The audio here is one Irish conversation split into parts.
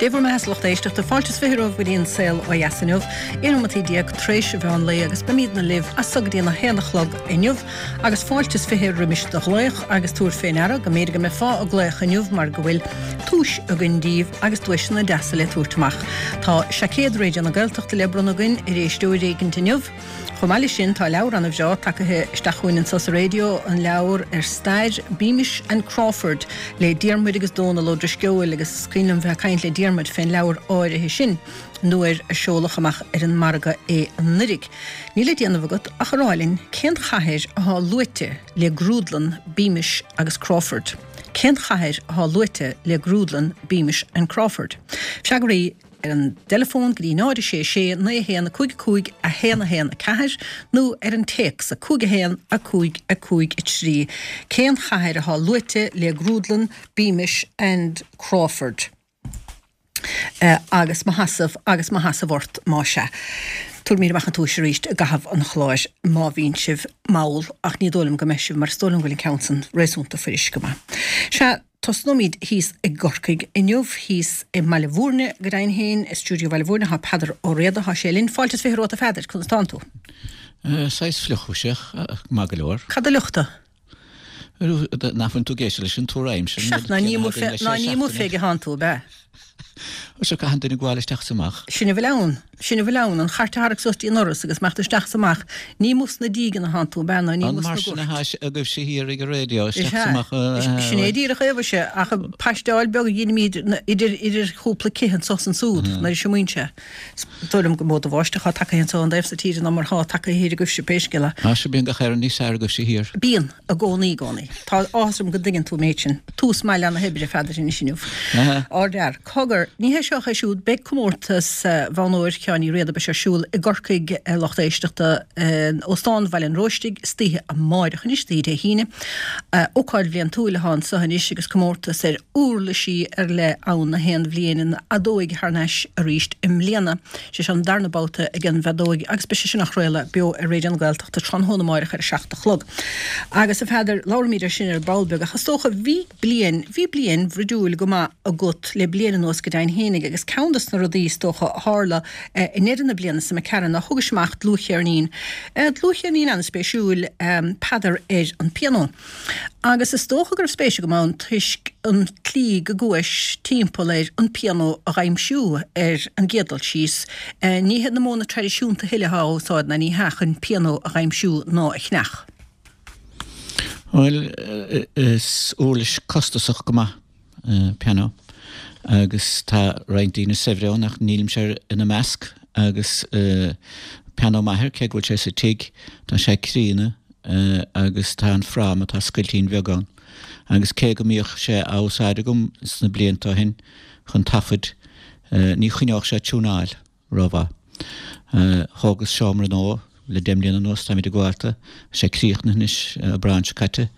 Dé bhur mbeatha a lucht éisteachta, fáilte is 20 romhaibh go dtí an Saol Ó Dheas inniu, 11 nóimeataí tar éis an mheán lae agus beimidne libh as so go dtí an 1 a chlog inniu agus fáilte is 20 roimis do ghlaoch agus tabhair fé ndeara go mb'fhéidir go mbeifeá ag glaoch inniu mar go bhfuil duais againn díbh agus duaiseanna deasa le tabhairt amach. Tá seaicéad Raidió na Gaeltachta le bronnadh againn ar éisteoir éigint inniu. Chomh maith leis sin, tá leabhar ana-bhreá tagaithe isteach chugainn anso sa raidió, an leabhar ar stair Beamish and Crawford le Diarmuid agus Dónal Ó Drisceoil agus is cuimhin liom bheith ag caint le Diarmuid fén leabhar áirithe sin nuair a seoladh amach ar an margadh é anuiridh. Níl le déanamh agat ach a rá linn cén chathair athá luaite le grúdlann Beamish agus Crawford. Cén chathair athá luaite le grúdlann Beamish and Crawford? Freagraí. ar an dteileafón go dtí 0 6 6 9 1 5 5 1 1 4 nó ar an téacs 5 1 5 5 3. Cén chathair athá luaite le grúdlann Beamish and Crawford? Agus mo sheasamh agus mo sheasamh ort más ea. Tabharfaimid amach an duais arís i gcaitheamh an chláir má bhíonn sibh mall ach ní dóigh liom go mbeidh sibh mar is dóigh liom go bhfuil an ceann san réasúnta fuirist go maith. Sea. Tosnóimid thíos i gCorcaigh inniu, thíos i mBaile Bhúirne go deimhin féin, i stiúideo Bhaile Bhúirne thá Peadar Ó Riada, thá sé linn. Fáilte is 20 romhat a Pheadair, conas tánn tú? Saghas fliuch mhuise, ach maith go leor. Cad a fhliuch tú? Nach bhfuil tú ag éisteacht leis an tuairim sin? Seacht, ná ní amuigh fé thánn tú, ab ea? Sea, caitheann duine gabháil isteach is amach. Sin a bhfuil ann. Sin a bhfuil ann. An chairt a tharrac suas dtí an ndoras agus imeacht isteach is amach. Ní amuigh sna dígeanna atánn tú, ab ea, ná ní amuigh sna goirt. An mar sin athá sé agaibhse thiar ag an raidió, isteach is amach? Sin é díreach é, mhuise, ach paisteáil beag a dheinimíd idir, idir chúpla cith anso is ansúd, nuair a siomraíonn sé. Is dóigh liom gur mó de bháisteach athá tagaithe anso ón dtaobh so tíre ná mar athá tagaithe thiar agaibhse, pé scéal é. Á, sea, bíonn gach aon rud níos fearr agaibhse thiar. Bíonn. I gcónaí, i gcónaí. Tá áthas orm go dtuigeann tú an méid sin. Tús maith le na hoibre, a Pheadair, anois inniu. Ardfhear. Cogar, ní hé seo ach é siúd, beidh comórtas Bhonn Óir Sheáin Uí Riada, beidh sé ar siúl i gCorcaigh, a lucht éisteachta, in Óstán Bhaile an Róistigh, istoíche amáireach anois, istoíche Dé hAoine. Ócáid bhliantúil athá anso anois agus comórtas ar uirlisí ar leith ann na haon bhliain, an fheadóig thar n-ais arís i mbliana. Sé seo an darna babhta ag an bhfeadóig agus beidh sé sin á chraoladh beo ar Raidió na Gaeltachta tráthnóna amáireach ar a 7 a chlog. Agus a Pheadair, labhraímid ar sin ar ball beag ach is dócha, bhí bliain, bhí bliain bhruidiúil go maith agat le bliain anuas go deimhin fhéinig agus ceann dos na rudaí is dócha a tharla i ndeireadh na bliana seo imigh tharainn ná thugais amach dlúthcheirnín, dlúthcheirnín an-spéisiúil, Peadar ar an bpianó. Agus is dócha go raibh spéis agam ann toisc an tslí go gcuais timpeall ar an pianó a dh'aimsiú ar an gcéad dul síos. Ní hiad na modhanna traidisiúnta a thuilleadh atá á úsáid ná ní hea chun pianó a dh'aimsiú ná a cheannach. Bhuel, is uirlis costasach go maith pianó agus tá roinnt daoine saibhre ann ach nílimse ina measc agus pianó m'athair, cé go bhfuil sé sa tigh, tá sé críonna agus tá an fráma, tá scoiltín bheag ann agus cé go mbíodh sé á úsáid agam sna blianta ó shin chun taifid, ní choinneodh sé tiúnáil. rómhaith. Thógas seomra nua le 10 mbliana anuas, táimid ag gabháil de, tá sé críochnaithe anois, Aibreán seo caite,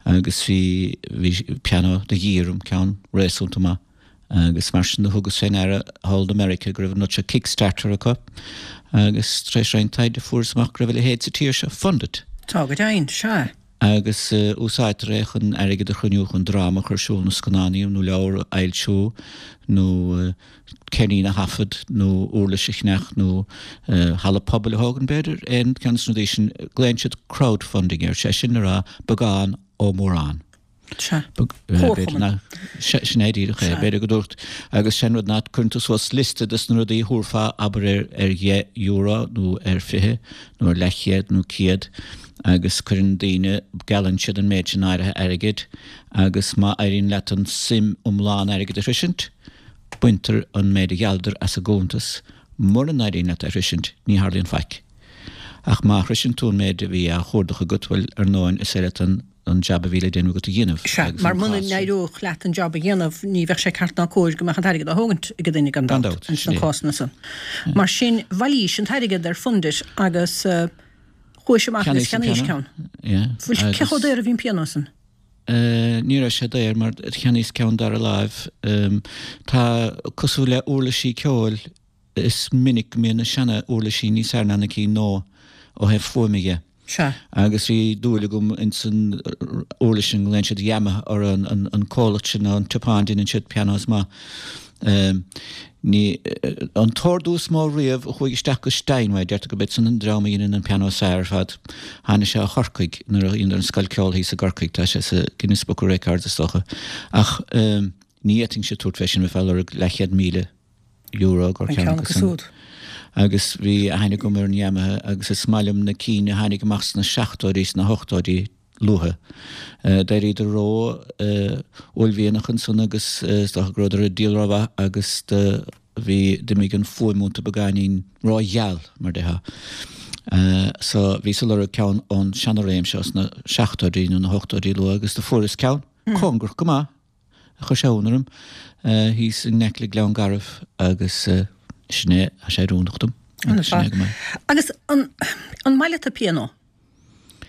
agus bhí, bhí pianó de dhíth orm, ceann réasúnta maith, agus mar sin do thugas fé ndeara thall i Meiriceá go raibh an rud seo Kickstarter acu, agus tar éis roinnt taighde fuaireas amach go raibh a leithéid sa tír seo, Fundit. Tá go deimhin, sea. agus úsáidtear é chun airgead a chruinniú chun dráma a chur ar siúl nó scannán nó leabhar a fhoilsiú nó ceirnín a thaifead nó uirlis a cheannach nó halla pobail a thógaint b'fhéidir, aon cheann de na rudaí sin. Glaonn siad crowdfunding air, sé sin le rá beagán ó mhórán. Sea. Comharchumann. Sin é díreach é. B'fhéidir go dúirt, agus sé an rud ná cuireann tú suas liosta de na rudaí a thabharfá, abair ar dheich euro nó ar 20 nó ar leathchéad nó 100 agus cuireann daoine, geallann siad an méid sin áirithe airgid agus má éiríonn leat an suim iomlán airgid a shroisint, baintear an méid a ghealladar as an gcuntas. Mura n-éiríonn leat é a shroisint, ní tharlaíonn faic. Ach má shroiseann tú an méid a bhí á chuardach agat, bhuel, ar ndóin, is é leat an an jab a bhí le déanamh agat a dhéanamh. Sea, mar muna n-éireodh leat an jab a dhéanamh, ní bheadh sé ceart ná cóir go mbeadh an t-airgead á thógaint ag duine, gan dabht, ins na cásanna san. Mar sin, bhailís an t-airgead ar Fundit agus chuais amach agus cheannaís ceann. Bhuel, cé chomh daor a bhí an pianó san? Ní raibh sé daor, mar cheannaíos ceann dara láimh. Tá, cosúil le uirlisí ceoil, is minic go mbíonn na seana-uirlisí níos fearr ná na cinn nua ó thaobh fuaime dhe. Sea. Agus bhí dúil agam ins an uirlis sin, glaonn siad Yamaha orthu, an comhlacht sin, an tSeapáin, déanann siad pianos maith. Ní, an t-ordú is mó riamh a chuaigh isteach go Steinway, deirtear gurb iad san an dream a dheineann an pianó is fearr ar fad. Tháinig sé ó Chorcaigh nuair a dheineadar an scoil ceoil thíos i gCorcaigh, tá sé sa Guinness Book of Records is dócha. Ach ní fhéadfainnse tabhairt fé sin, bheifeá ag lorg leathchéad €1,000 i gcomhair ceann acu san. Agus bhí aithne agam ar an Yamaha agus is maith liom na cinn a tháinig amach sna seachtóidí, sna hochtóidí, luatha. D'éiríodar ró uaillmhianach ansan agus is dócha go rabhadar ag díol rómhaith agus do bhí, d'imigh an fuaim iontu beagáinín ró-gheal, mar déarfá. So bhíos ag lorg ceann ón seana-réim seo sna seachtóidí nó na hochtóidí luath agus do fuaireas ceann, cóngarach go maith. Chuir sé ionadh orm thíos in aice le Gleann Garbh agus sin é, tá sé oiriúnach dom. Sin é go maith. Agus an maith leat an pianó?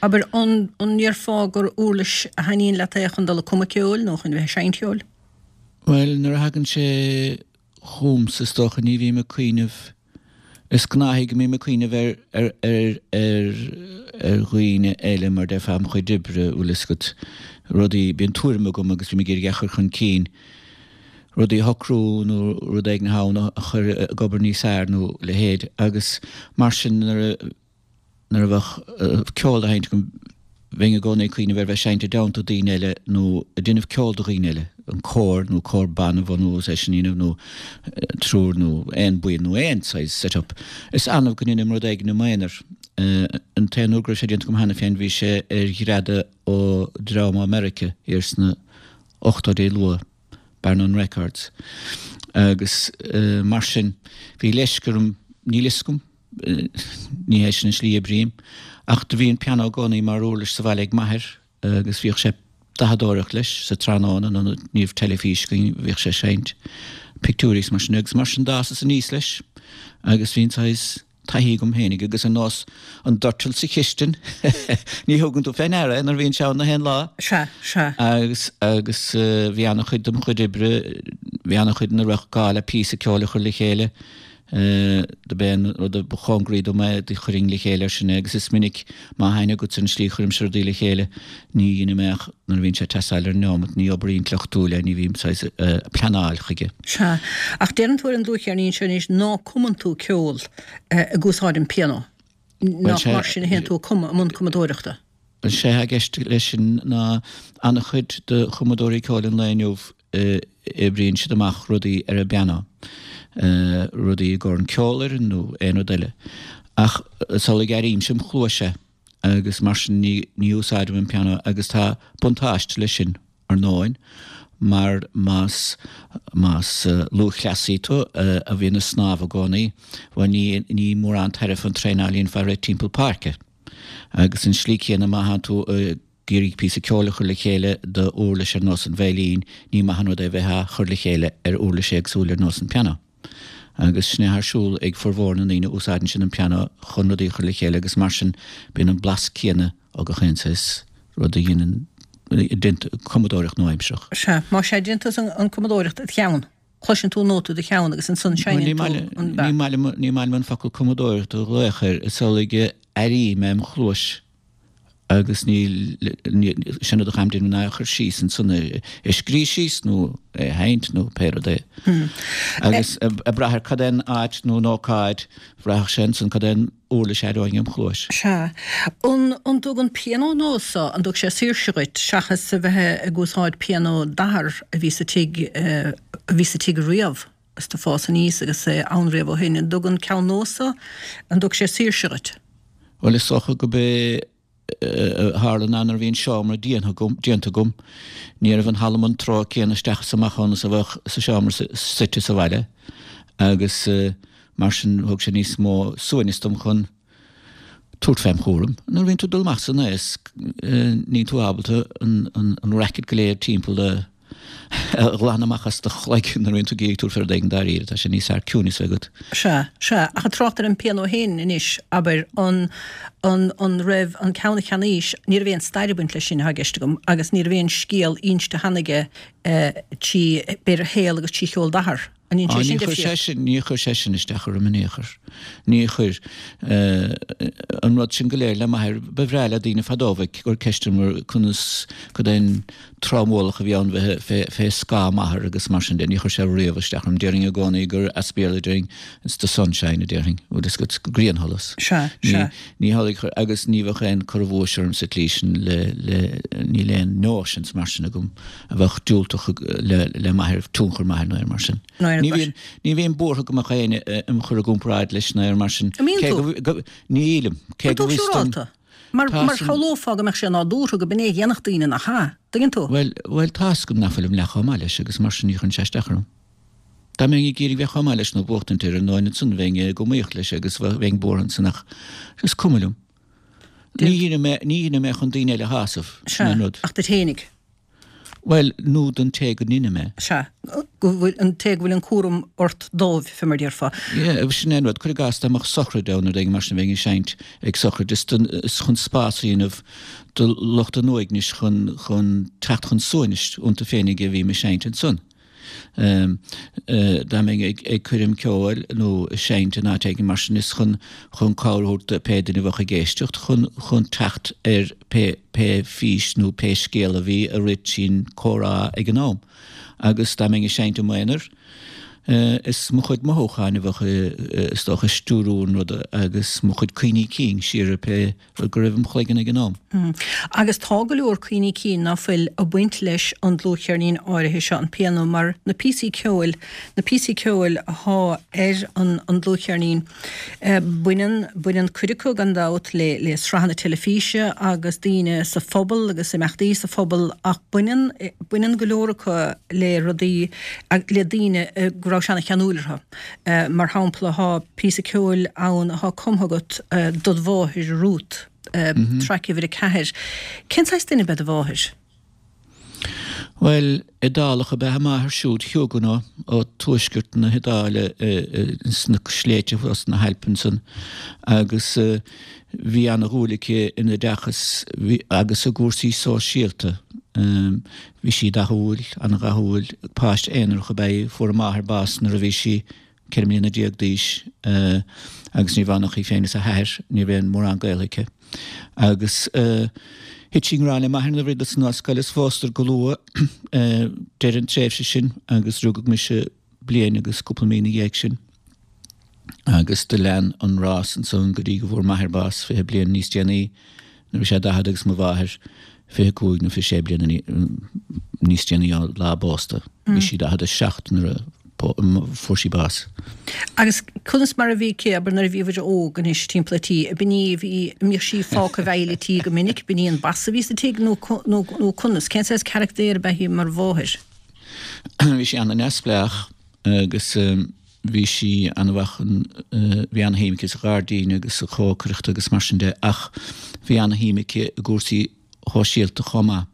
Abair, an ndéarfá gur uirlis a thaitníonn leat é chun dul ag cumadh ceoil nó chun bheith ag seinnt ceoil? Bhuel, nuair a thagann sé chugamsa is dócha ní bhím ag cuimhneamh, is gnáthaí go mbím ag cuimhneamh ar, ar, ar, ar, ar dhaoine eile mar déarfá im chuid oibre, bhfuil fhios agat, rudaí, bíonn tuairim agam agus bím ag iarraidh é a chur chun cinn, rudaí a shocrú nó rud éigin atá ann a chur ag obair níos fearr nó a leithéid agus mar sin nuair a Nuair a bheadh ceol á sheinnt agam, bheinn i gcónaí ag cuimhneamh ar bheith ag seinnt i dteannta daoine eile nó ag déanamh ceol do dhaoine eile, an cór nó cór ban a bhunú agus é sin a dhéanamh nó triúr nó aon buíon nó aon saghas set up. Is annamh go ndéanaim rud éigin i m'aonar. An t-aon uair go raibh sé déanta agam cheana féin bhí sé ar ghreadadh ó dream ó Meiriceá thiar sna ochtóidí luath, Bar None Records. Agus mar sin bhí leisce orm, níl fhios agam, Ní hé sin an slí a oibrím. Ach do bhí an pianó i gcónaí mar uirlis sa bhaile ag m'athair agus bhíodh sé ag dathadóireacht leis sa tráthnóna nuair ní raibh teilifís againn, bhíodh sé ag seinnt pictiúirí is mar sin agus mar sin d'fhásas aníos leis agus bhí an saghas taithí agam féinig agus ar nós an doirteal sa chistin ní thugann tú fé ndeara é nuair a bhíonn sé ann na haon lá. Sea, sea. Agus, agus bhí ana-chuid dem chuid oibre, bhí ana-chuid ina raibh gá le píosa ceoil a chur le chéile Do b'é an rud a ba chóngaraí dom é do chuirfinn le chéile ar sin é agus is minic má tá aithne agatsa ar an slí a chuirimse rudaí le chéile ní dheinim é ach nuair a bhíonn sé ag teastáil ar an neomat, ní obair intleachtúil é, ní bhím saghas ag pleanáil chuige. Sea, ach deireann tú ar an dluathcheirnín seo anois ná cumann tú ceol ag úsáid an pianó, nach mar sin a théann tú ag cumadh, i mbun cumadóireachta? Sé atá i gceist leis sin ná an-chuid de chumadóirí ceoil an lae inniu oibríonn siad amach rudaí ar an bpianó, rudaí i gcomhair an ceolfhoireann nó aon rud eile. Ach is amhlaidh airímse im chluais é agus mar sin ní úsáidim an pianó agus tá buntáiste leis sin ar ndóin mar más más lúthchleasaí tú a bhíonn ag snámh i gcónaí, bhuel ní ní mórán tairbhe an traenáil a dhéanfá ag rith timpeall páirce. Agus an slí céanna má thánn tú ag iarraidh píosa ceoil a chur le chéile d'uirlis ar nós an veidhlín, ní maith an rud é bheith á chur le chéile ar uirlis éagsúil ar nós an pianó. Agus sin é atá ar siúl ag formhór na ndaoine, úsáideann siad an pianó chun rudaí a chur le chéile agus mar sin bíonn an blas céanna ó gach aon saghas rud a dhéanann cumadóireacht nua-aimsearach. Sea, más ea, déanann tú an cumadóireacht id cheann. Cloiseann tú an nóta i do cheann agus ansan seinneann tú an beat. Ní maith liom, ní maith liom an focal cumadóireacht a ghlaoch air, is amhlaidh a airím é im chluais agus ní, sin rud a chaithim déanamh ná é a chur síos ansan, é a scríobh síos nó é a sheinnt nó pé rud é. Agus ag brath ar cad é an áit nó an ócáid, bhraithfeadh sé ansan cad é an uirlis a aireoinn im chluais. Sea. An, an dtug an pianó nua so, an dtug sé saoirse dhuit, seachas a bheith ag úsáid pianó d'athar a bhí sa tigh, a bhí sa tigh riamh is tú ag fás aníos agus é ann riamh ó shin, an dtug an ceann nua so, an dtug sé saoirse dhuit? Bhuel, is dócha go b'é a tharla ná nuair a bhí an seomra déanta agam, déanta agam, ní raibh an thalamh an treo céanna isteach is amach ann is a bheadh sa seomra suite sa bhaile agus mar sin thug sé níos mó suaimhneas dom chun tabhairt fém chúram. Nuair a bhíonn tú ag dul amach san aos níl tú ábalta an racket go léir timpeall a a ghlanadh amach as do chloigeann nuair a bhíonn tú ag iarraidh tabhairt fé rud éigin dáiríre. Tá sé níos fearr ciúineas a bheith agat. Sea, sea. Ach ag trácht ar an bpianó féin anois, abair, an, an, an raibh an ceann a cheannaís, ní raibh aon stair ag baint leis sin atá i gceist agam, agus ní raibh aon scéal inste cheana aige trí, b'fhéidir, shaol agus trí cheol d'athar. An ndéanann Á, sé sin níor chuir sé difríocht? sin, níor chuir sé sin isteach orm in aon chor. Níor chuir. An rud sin go léir le m'athair, ba bhreá le daoine fadó bheith ag cur ceist orm mar conas, cad é an trámhualach a bhí ann bheith fé, fé scáth m'athar agus mar sin de. Níor chuir sé riamh isteach orm. Déarfainn i gcónaí gur as Béarla déarfainn, it's the sunshine a déarfainn, bhfuil fhios agat, griansholas. Sea, Ní, sea. ní hamhlaidh a chuir, agus ní bheadh aon cur i bhfuais orm sa tslí sin le, le, níl aon notions mar sin agam. a bheadh diúltach le m'athair, tionchar m'athar nó aon mar sin. Nó Ní bhíonn, ní bhím buartha go mbeadh éinne im chur i gcomparáid leis nó aon mar sin. An mbíonn Cé tú? go, go, nílim. Cé An go tú bhfios dom. siúrálta? Mar, Tá mar san. shamhlófá go mbeadh sé nádúrtha go b'in é a dhéanfadh daoine, nach ea? Tuigeann tú? Bhuel, bhuel, tá fhios agam nach bhfuilim leath chomh maith leis agus mar sin ní chuireann sé isteach orm. Dá mbeinn ag iarraidh bheith chomh maith leis nó buachtaint air ar ndóigh ansan bheinn ag iomaíocht leis agus bheinn buartha ansan ach is cuma liom. Ní dhéanaim é, ní dhéanaim é chun daoine eile a shásamh, sin Sea, an rud. ach duit fhéinig. Bhuel, nó don té go ndeinim é. Sea, go bhfuil, an té go bhfuil an cúram ort dóibh, fé mar déarfá. Yeah, sin é an rud. Cuir i gcás, dá mbeadh sochraid ann nó rud éigin mar sin, bheinn ag seinnt ag sochraid. Is don, is chun spás a dhéanamh do lucht an uaignis chun, chun teacht chun suaimhnis iontu féinig a bhím ag seinnt ansan. Dá mbeinn ag coirm ceoil nó ag seinnt in áit éigin mar sin is chun chun cabhair a thabhairt do pé duine a bheadh ag éisteacht chun chun teacht ar pé pé fís nó pé scéal a bhí a rith trín comhrá ag an am. Agus dá mbeinn ag seinnt i m'aonar is mo chuid mothúcháin a bheadh is dócha ag stiúrú an ruda agus mo chuid cuimhní cinn siar ar pé rud go raibh im chloigeann ag an am. Agus tá go leor cuimhní cinn ná fuil ag baint leis an dlúthcheirnín áirithe seo, an pianó, mar na píosaí ceoil, na píosaí ceoil athá ar an an dlúthcheirnín, baineann, baineann cuid acu gan dabht le, le sraitheanna teilifíse agus daoine sa phobal agus imeachtaí sa phobal ach baineann, baineann go leor acu le rudaí, le daoine go raibh sé ana-cheanúil orthu. Mar shampla, tá píosa ceoil ann atá cumtha agat dod mháthair, Ruth, traic uimhir 4. Cén saghas duine ab ea do mháthair? Bhuel, Iodálach ab ea a máthair siúd, Huguenot ó tuaisceart na hIodáile sna sléibhte thuas sna hAilp ansan agus bhí ana-dhúil aici in oideachas agus i gcúrsaí sóisialta. Bhí sí dathúil, an-dhathúil. Páiste aonarach ab ea í. Fuair a máthair bás nuair a bhí sí 14 mbliana d'aois agus ní raibh ann ach í féin is a hathair, ní raibh aon mórán gaolta aici. Agus thit sí i ngrá le m'athair nuair a bhíodar san ollscoil is phósadar go luath deireadh an tréimhse sin agus rugadh mise bliain agus cúpla mí ina dhiaidh sin. Agus do lean an rás ansan go dtí go bhfuair m'athair bás 20 bliain níos déanaí, nuair a bhí sé 40 agus mo mháthair 25 nó 26 bliana níos déanaí ó lá a bpósta. Bhí sí 47 nuair a fuair sí bás. Agus conas mar a bhí aici, abair, nuair a bhíobhair óg anois timpeall an tí, ab in í a bhí, a mbíodh sí fágtha i bhfeighil an tí go minic, b'in í an boss a bhí sa tigh nó, nó, nó conas, cén saghas carachtair ab ea í mar mháthair? Bhí sí ana-neamhspleách agus bhí sí ana-mhaith chun, bhí ana-shuim aici sa ghairdín agus sa chócaireacht agus mar sin de ach bhí ana-shuim aici i gcúrsaí shóisialta chomh maith.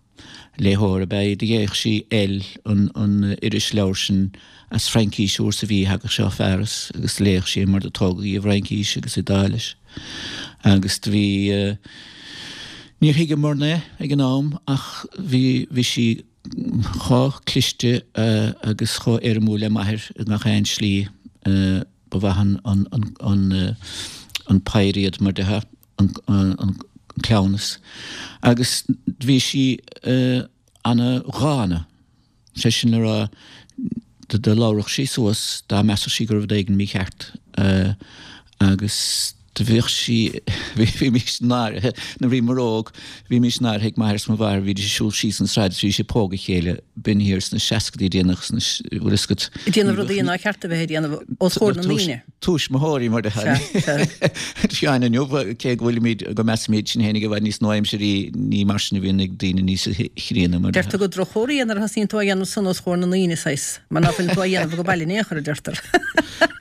Léitheoir ab ea í, do léadh sí Elle, an an irisleabhar sin as Fraincís uair sa mhí, thagadh sé ó Pháras agus léadh sí é mar do tógadh í i bhFraincís agus Iodáilis. Agus do bhí, níor thuigeamarna é ag an am ach bhí, bhí sí chomh cliste agus chomh éirimiúil le m'athair i ngach aon slí. Ba mhaith an pair iad mar déarfá, an cleamhnas. Agus bhí sí ana-dhána, sé sin le rá, do labhradh sí suas dá measfadh sí go raibh rud éigin mícheart agus do bhíodh sí, bhímís náirithe, nuair a bhíomar óg, bhímís náirithe ag m'athair is mo mháthair, bhídís ag siúl síos an tsráid is bhídís ag pógadh a chéile, b'in thiar sna seascadaí déanach, sna, bhfuil fhios agat. Ag déanamh rudaí nár cheart a bheith ag déanamh os comhair na ndaoine. Tuismitheoirí mar a Sheáin inniu, cé go bhfuilimid, go measaimid sinn féinig i bhfad níos nua-aimsirí, ní mar sin a bhíonn ag daoine níos chríonna mar. Deirtear gur droch-chomhartha é nuair a thosaíonn tú á dhéanamh san os comhair na ndaoine, saghas, mar ná fuileann tú á dhéanamh ag baile in aon chor, a deirtear.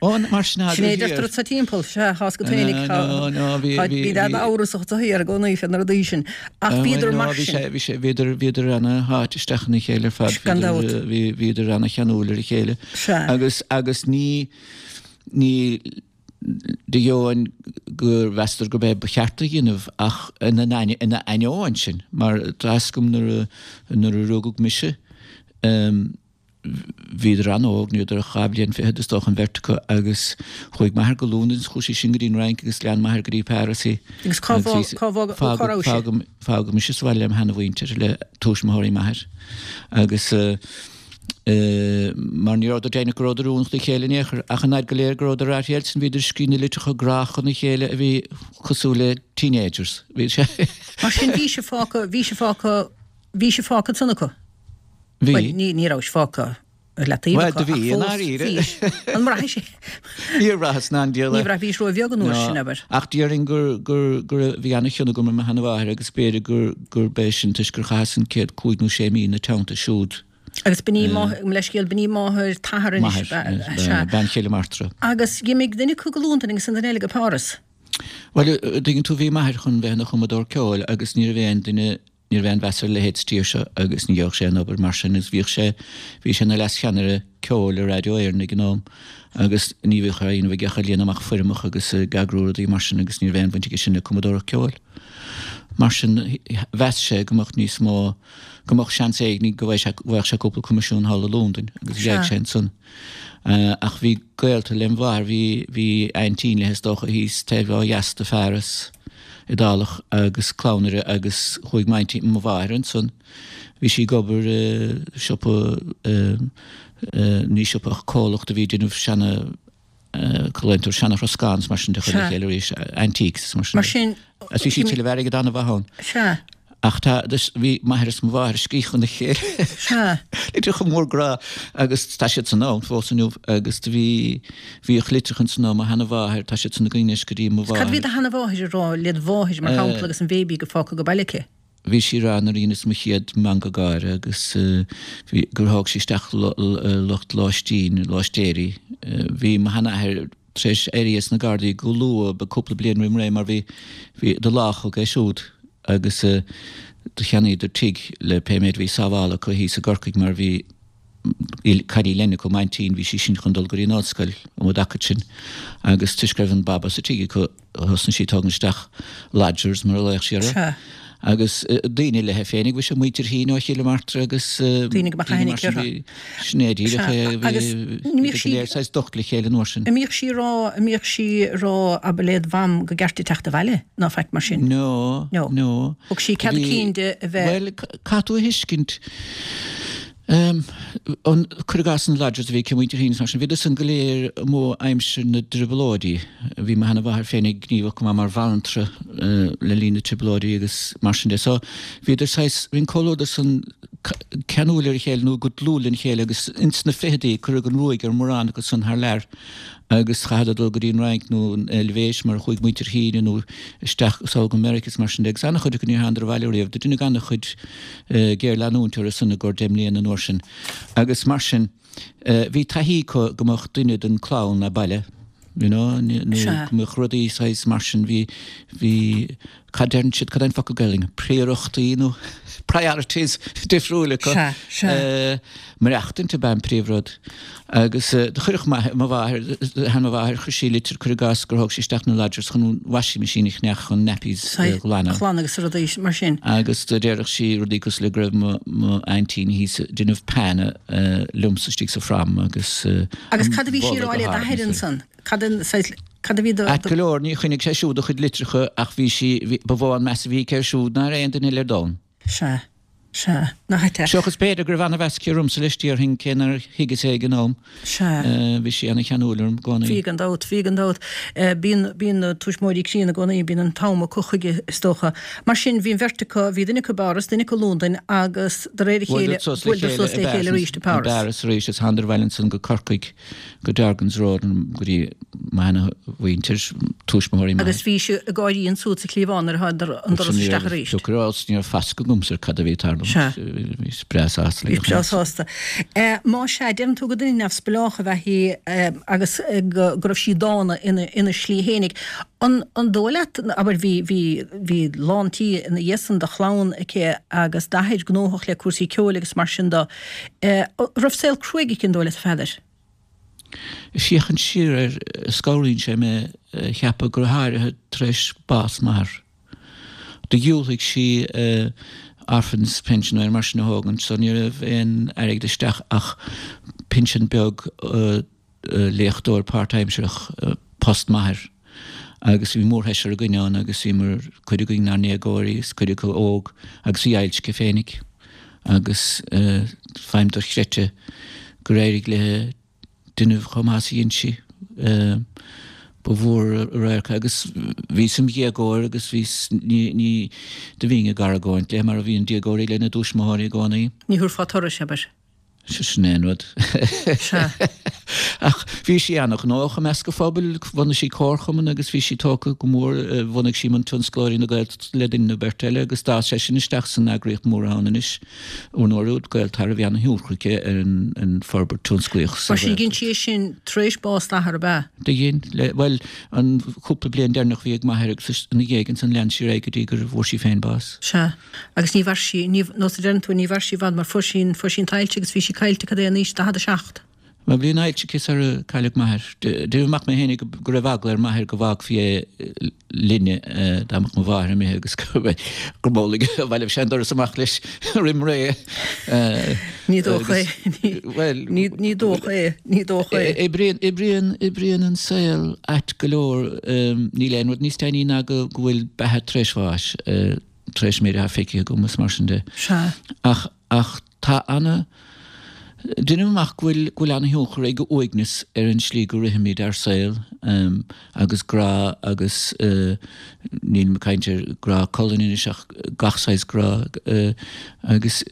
Ó, mar sin Sin é a deirtear anso timpeall, sea, tá's agat féinig, tá, bhí daid amhrasach sa thiar i gcónaí fé na rudaí sin. Ach bhíodar mar sin. Bhí sé, bhíodar, bhíodar ana-sháite isteach ina chéile ar fad. Gan dabht. Bhíodar ana-cheanúil ar a chéile. Sea. Agus, agus ní, Ní de dheoin gur mheasadar gurb é ba cheart a dhéanamh ach ina ainneoin sin, mar tá fhios agam nuair a nuair a rugadh mise. Bhíodar an-óg, ní rabhadar ach 2 bhliain fichead is dócha an bheirt acu agus chuaigh m'athair go Londain is chuaigh sí sin go dtí an Fhrainc agus lean m'athair go dtí Páras í. Agus cá bhfág, cá bhfág, cá raibh sé? Fágadh mise sa bhaile lem sheanamhuintir, le tuismitheoirí m'athair agus mar ní rabhadar deimhneach go rabhadar oiriúnach dá chéile in aon chor ach an fhaid go léir go rabhadar ar a chéile bhíodar ag scríobh na litreacha grá chun a chéile a bhí cosúil le teenagers. Bhí sé. Mar sin bhí sé fágtha, bhí sé fágtha, bhí sé fágtha ansan acu? Bhí. Bhuel, ní, ní rabhais fágtha ar leataobh Bhuel, do bhí, i ndáiríre. Bhís. An mbraithis é? Níor bhraitheas ná an diabhal é. Ní bhraith, bhís ró-bheag an uair sin, abair. Ach déarfainn gur, gur, gur, bhí ana-chion agam ar mo sheana-mháthair agus b'fhéidir gur, gurb é sin toisc gur chaitheas an chéad chúig nó sé mí ina teannta siúd. Agus b'in í máthair, mo leithscéal, b'in í máthair t'athar anois, ba, sea. Bean chéile m'artra. Agus d'imigh duine acu go Londain agus an duine eile go Páras. Bhuel, tuigeann tú, bhí m'athair chun bheith ina chumadóir ceoil agus ní raibh aon duine, Ní raibh aon mheas ar a leithéid sa tír seo agus ní gheobhadh sé aon obair mar sin agus bhíodh sé, bhí sé ina leas-cheannaire ceoil i Raidió Éireann ag an am agus ní bhíodh á dhéanamh aige ach ag líonadh amach foirmeacha agus ag eagrú rudaí mar sin agus ní raibh aon bhaint aige sin le cumadóireacht ceoil. Mar sin, mheas sé go mbeadh níos mó, go mbeadh seans éigin go bhfaigheadh sé cúpla coimisiún thall i Londain agus gheibh sé ansan. Ach bhí gaolta lem mháthair, bhí, bhí aintín léi is dócha thíos taobh ó dheas de Pháras, Iodálach agus clann uirthi agus chuaigh m'aintín, mo mháthair ansan, bhí sí ag obair i siopa, ní siopa ach comhlacht a bhí ag déanamh seana, colainteoir seana-throscán is mar sin de chur le chéile arís, antiques is mar sin. Mar sin. Agus bhí sí ag tuilleamh airgid an-mhaith ann. Sea. Ach tá, bhí m'athair is mo mháthair ag scríobh chun a chéile. Sea. Litreacha mór grá agus tá siad san ann fós inniu agus do bhí, bhíodh litreacha ansan ó mo sheana-mháthair, tá siad san againn anois go dtí mo mháthair. Cad a bhí do sheana-mháthair ag rá led mháthair mar shampla agus an bhéibí go fágtha go baile aici? Bhí sí ag rá nuair a dheineas mo chéad meangadh gáire agus bhí, gur thóg sí isteach lucht lóistín, lóistéirí. Bhí mo sheanathair tar éis éirí as na Gardaí go luath, cúpla bliain roim ré mar bhí, bhí, do láchadh é siúd agus do cheannaíodar tigh le pé méid a bhí sábhála acu thíos i gCorcaigh mar bhí cailín eile acu, m'aintín, bhí sí sin chun dul go dtí an ollscoil um an dtaca sin agus toisc go raibh an baba sa tigh acu, Thosnaigh sí ag tógaint isteach lodgers mar a ghlaodh sí orthu. Sea. Agus daoine léi féinig, bhí sé muintir Heaney ó Chill Martra agus Daoine go mbeadh aithne aici orthu. Sin é díreach é, bhí go léir saghas docht le chéile an uair sin. An mbíodh sí ag rá, an mbíodh sí ag rá abair led mham go gceart di teacht abhaile ná faic mar sin? No, no. Thug sí cead a cinn di a bheith. Bhuel, caithfidh tú a thuiscint, An, cuir i gcás na lodgers a bhí aici, muintir Heaney is mar sin, bhíodar san go léir amuigh aimsir na dTrioblóidí. Bhí mo sheana-mháthair féinig gníomhach go maith mar bhanaltra le linn na dTrioblóidí agus mar sin de. So, bhíodar saghas, bhí an comhluadar san ceanúil ar a chéile nó go dlúth lena chéile agus ins na ficheadaí cuireadh an ruaig ar mhórán acu san thar lear. agus chaitheadar dul go dtí an Fhrainc nó an Eilvéis mar a chuaigh muintir Heaney nó isteach sall go Meiriceá is mar sin de agus an-chuid acu níor thánadar abhaile riamh. Do deineadh an-chuid géarleanúint orthu san i gcomhair 10 mbliana an uair sin agus mar sin bhí taithí acu go mbeadh duine den chlann a' baile you know nó go mbeadh rudaí saghas mar sin bhí bhí cad deireann siad, cad é an focal Gaelainn, príorachtaí nó priorities difriúil acu. Sea, sea. Maireachtaint ab ea an príomhrud. Agus do chuirfeadh mo mháthair, sheana-mháthair, chuir sí litir, cuir i gcás, gur thóg sí isteach na lodgers chun an washing machine a cheannach chun nappies a ghlanadh. A ghlanadh agus rudaí mar sin. Agus do déarfadh sí rudaí cosúil le go raibh mo m'aintín thíos ag déanamh pana liomsa istigh sa phram agus Agus cad a bhí sí a rá le d'athair ansan? Cad an saghas, cad a bhí do. Ait go leor, ní choinnigh sé siúd a chuid litreacha ach bhí sí, bhí, ba mhó an meas a bhí aici air siúd ná ar aon duine eile ar domhan. Sea, sea, nach ait é. Seachas b'fhéidir go raibh ana-mheas aici ormsa leis, déarfainn, cé nár thuigeas é ag an am. Sea. Bhí sí ana-cheanúil orm i gcónaí. Bhí gan dabht, bhí gan dabht. Bíonn, bíonn na tuismitheoirí críonna i gcónaí, bíonn an t-am acu chuige is dócha. Mar sin, bhí an bheirt acu, bhí duine acu i bPáras, duine acu i Londain agus de réir a chéile, bhuaileadar suas le chéile arís i bPáras. I bPáras arís is thánadar abhaile ansan go Corcaigh. go Dargan's Road go dtí mo sheana-mhuintir, tuismitheoirí m'athar. Agus bhí sí ag gáirí ansúd sa chliabhán nuair a thánadar an doras isteach arís. Go raibh, ní raibh fascadh agamsa ar cad a bhí ag tarlú. Sea. Bhíos breá sásta le Bhís breá sásta. Má sea, deireann tú gur duine neamhspleách ab ea í agus go raibh sí dána ina ina slí fhéinig. An an dóigh leat, abair, bhí bhí bhí lán tí ina dhiaidh san de chlann aici agus d'athair gnóthach le cúrsaí ceoil agus mar sin de, Raibh saol cruaidh aici an dóigh leat a Pheadair? Ag féachaint siar air, scanraíonn sé mé a cheapadh, go háirithe tar éis bás m'athar. Do dhiúltaigh sí. Orphans Pension nó mar sin a thógaint so ní raibh aon airgead isteach ach pinsean beag léachtóir páirtaimsearach, post m'athair. Agus bhí mórsheisear againn ann agus bhíomar, cuid againn inár ndéagóirí agus cuid acu óg agus bhí ailse aici féinig agus feidhm dochreidte gur éirigh léi déanamh chomh maith is a dhein sí. Ba mhór an radharc é agus bhíos im dhéagóir agus bhíos, ní, ní, do bhínn ag argóint léi mar a bhíonn déagóirí lena dtuismitheoirí i gcónaí. Ní thabharfá turais, abair. Sin é an rud. Sea. Ach bhí sí ana-ghnóthach i measc an phobail, bhunaigh sí comharchumann agus bhí sí tógtha go mór, bhunaigh sí Cumann Tionsclóirí na Gaeltachta le duine nó beirt eile agus d'fhás sé sin isteach san eagraíocht mhór atá ann anois. Ar ndóigh, Gaeltarra, bhí ana-thionchar aici ar an forbairt tionsclaíoch sa Mar sin, dhein sí é sin tar éis bás d'athar, ab ea? Do dhein, le, bhuel, an chúpla bliain deireanach a bhí ag m'athair agus ina dhiaidh ansan lean sí ar aghaidh go dtí gur bhfuair sí féin bás. Sea. Agus ní mhair sí, ní, nós a deireann tú, ní mhair sí i bhfad mar fuair sí an, fuair sí an t-ailse agus bhí sí caillte, cad é an aois, 47? Bhuel, bhí an ailse aici sar a cailleadh m'athair. Deirim amach mé fhéinig go raibh eagla ar m'athair go bhfágfaí é linne dá mbeadh mo mháthair imithe agus go mba amhlaidh sé an doras amach leis roim ré. Ní dócha é. Bhuel, ní dócha é, ní dócha é. Oibríonn, oibríonn, oibríonn an saol ait go leor. Níl aon rud níos deimhní ná go bhfuil beatha tar éis bháis. tar éis méid atá feicthe agam is mar sin de. Sea. Ach, ach tá ana, deinim amach go bhfuil, go bhfuil ana-thionchar ag uaigneas ar an slí go rithimid ár saol, agus grá agus, nílim ag caint ar grá colainne anois ach gach saghas grá, agus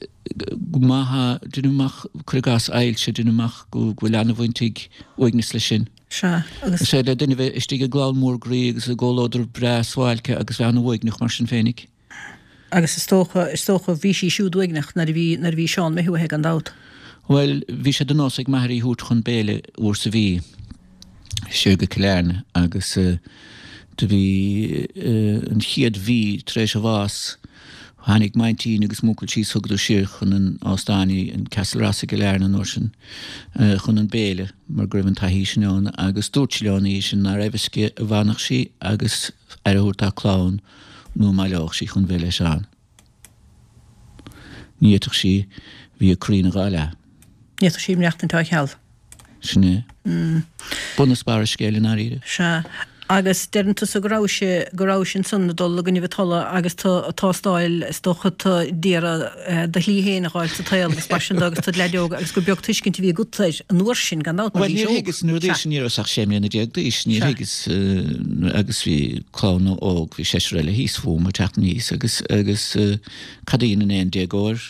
go maith, deinim amach, cuir i gcás ailse, deinim amach go bhfuil ana-bhaint ag uaigneas leis sin. Sea, agus. Is féidir le duine bheith istigh i gclann mhór groí agus i gcomhluadar breá suáilce agus bheith an-uaigneach mar sin féinig. Agus is dócha, is dócha, bhí sí siúd uaigneach nuair a bhí, nuair a bhí Seán imithe uaithi, gan dabht. Bhuel, bhí sé de nós ag m'athair í thabhairt chun béile uair sa mhí, siar go Cill Airne, agus do bhí an chéad mhí tar éis a bhás, tháinig m'aintín agus m'uncail síos, thugadar siar chun an óstáin í, an Castle Ross i gCill Airne an uair sin, chun an béile mar go raibh an taithí sin ann agus dúirt sí leo an oíche sin nár raibh a fhios aici an bhfanfadh sí agus aire a thabhairt dá clann nó an mbaileodh sí chun bheith le Seán. Ní fhéadfadh sí, bhí a croí ina dhá leath. Ní fhéadfadh sí maireachtaint á cheal. Sin é. Bun is barr an scéil i ndáiríre. Sea. Agus deireann tusa go rabhais, go rabhais ansan ag dul i gcoinnibh a tola agus tú ag tástáil, is dócha, tú d'iarraidh do shlí féin a dh'fháil sa tsaol agus mar sin de agus tú id leaid óg agus gur beag tuiscint a bhí agat air an uair sin, gan dabht, mar bhís óg. Bhuel, níor thuigeas, nuair a bhí sin, ní rabhas ach 16 mbliana d'aois, níor thuigeas, agus bhí clann óg, bhí seisear eile thíos fúm ag teacht aníos agus, agus cad a dhéanann aon déagóir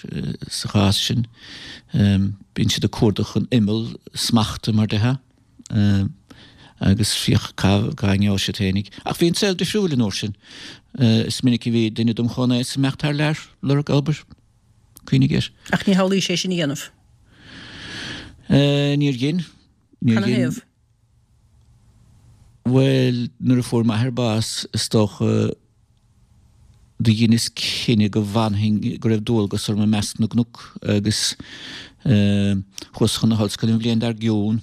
sa chás sin? Bíonn siad ag cuardach an imeall smachta, mar déarfá, agus féach cá ngeobhaidh siad féinig. Ach bhí an saol difriúil an uair sin. Is minic a bhí duine dom chomhaois ag imeacht thar lear, lorg obair. Cuimhnigh air. Ach ní shamhlaís é sin a dhéanamh? Níor dhein. Níor dhein. Canathaobh? Bhuel, nuair a fuair m'athair bás, is dócha, do dheineas cinneadh go bhfanfainn, go raibh dualgas orm i measc na gcnoc agus chuas chun na hollscoile an bhliain dár gcionn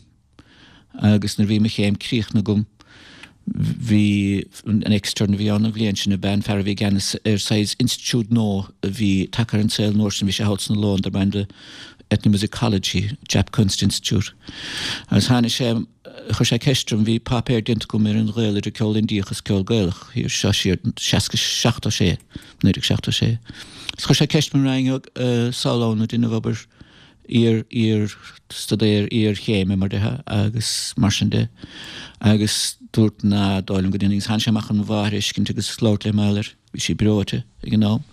agus nuair a bhí mo chéim críochnaithe agam, bhí an extern a bhí ann an bhliain sin, ab ea an fear a bhí i gceannas ar saghas institiúid nua a bhí tagtha ar an saol an uair sin, bhí sé thall sna Lóin darb ainm do Ethnomusicology, Jaap Kunst Institute. Agus tháinig sé, chuir sé ceist orm, bhí páipéar déanta agam ar an ghaol idir ceol Indiach is ceol Gaelach, thiar, seo siar, 76, 1976. Agus chuir sé ceist orm an raghainn sall ann ag déanamh obair iar, iar, staidéar iarchéime mar déarfá agus mar sin de. Agus dúrt ná dóigh liom go ndéanfainn. Agus tháinig sé amach chun mo mháthair a fheiscint agus labhairt léi mar gheall air. Bhí sí breoite ag an am,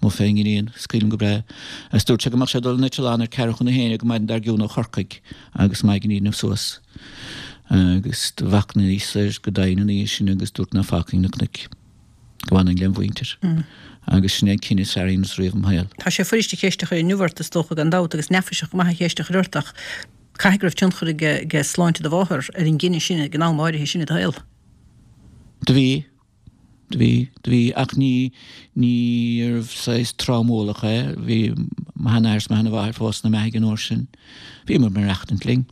mo féin-iníon, is cuimhin liom go breá. Agus dúirt sé go mbeadh sé ag dul in eitleán ar ceathrú chun a haon an maidin dár gcionn ó Chorcaigh agus maighnead a dhéanamh suas. Agus do mhachnaíos air go domhain an oíche sin agus dúrt ná fágfainn na cnoic, go bhfanfainn lem mhuintir. Agus sin é an cinneadh is fearr a dheineas riamh im shaol. Tá sé fuirist an cheist a chur inniu ort, is dócha, gan dabht, agus neafaiseach go maith an cheist a chur ort, ach caithfidh go raibh tionchar ag sláinte do mháthar ar an gcinneadh sin ag an am áirithe sin i do shaol. Do bhí. Do bhí, do bhí, ach ní, níorbh saghas trámúlach é. Bhí mo sheanathair is mo sheanamháthair fós ina mbeathaidh an uair sin. Bhíomar ag maireachtaint linn.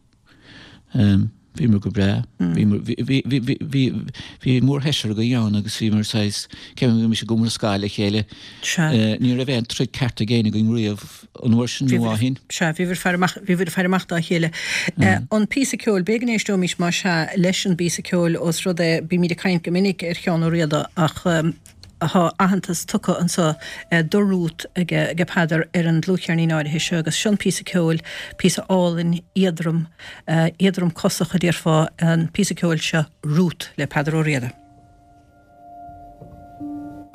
Bhíomar go breá. Bhíomar, bhí, bhí, bhí, bhí, bhí, bhí mórsheisear againn ann agus bhíomar saghas, ceapaim go mbímis ag iomrascáil le chéile. Sea. Ní raibh aon troid ceart ag éinne againn riamh an uair sin nó ó shin. Sea, bhíobhair ag faire amach, bhíobhair ag faire amach dá chéile. An píosa ceoil, b'fhéidir go n-éisteoimis más ea leis an bpíosa ceoil ós rud é, bímid ag caint go minic ar Sheán Ó Riada ach, Tá aitheantas tugtha anseo do Ruth ag Peadar ar an dlúthcheirnín áirithe seo agus seo an píosa ceoil, píosa álainn éadrom, éadrom cosach a déarfá, an píosa ceoil seo Ruth le Peadar Ó Riada.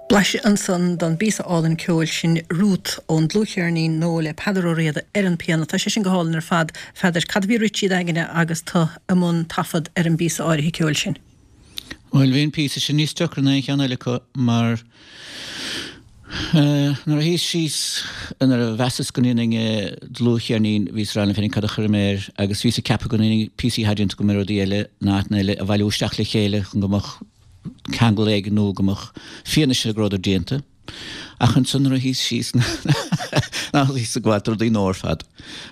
Blaiseadh ansan don bpíosa álainn ceoil sin Ruth ón dlúthcheirnín nua le Peadar Ó Riada ar an pianó. Tá sé sin go hálainn ar fad, a Pheadair. Cad a bhí ag rith trí d'aigne agus tu i mbun taifead ar an bpíosa áirithe ceoil sin? Bhuel, bhí an píosa sin níos deacra ná aon cheann eile acu mar nuair a shuíos síos, nuair a mheasas go ndéanfainn dlúthcheirnín, bhíos ag rá liom féinig cad a chuirfidh mé air agus bhíos ag ceapadh go ndéanfainn píosaí atá déanta agam ar rudaí eile in áiteanna eile a bhailiú isteach le chéile chun go mbeadh ceangal éigin nó go mbeadh fianaise go rabhadar déanta. Ach ansan nuair a shuíos síos ná bhíos ag gabháil do rudaí nua ar fad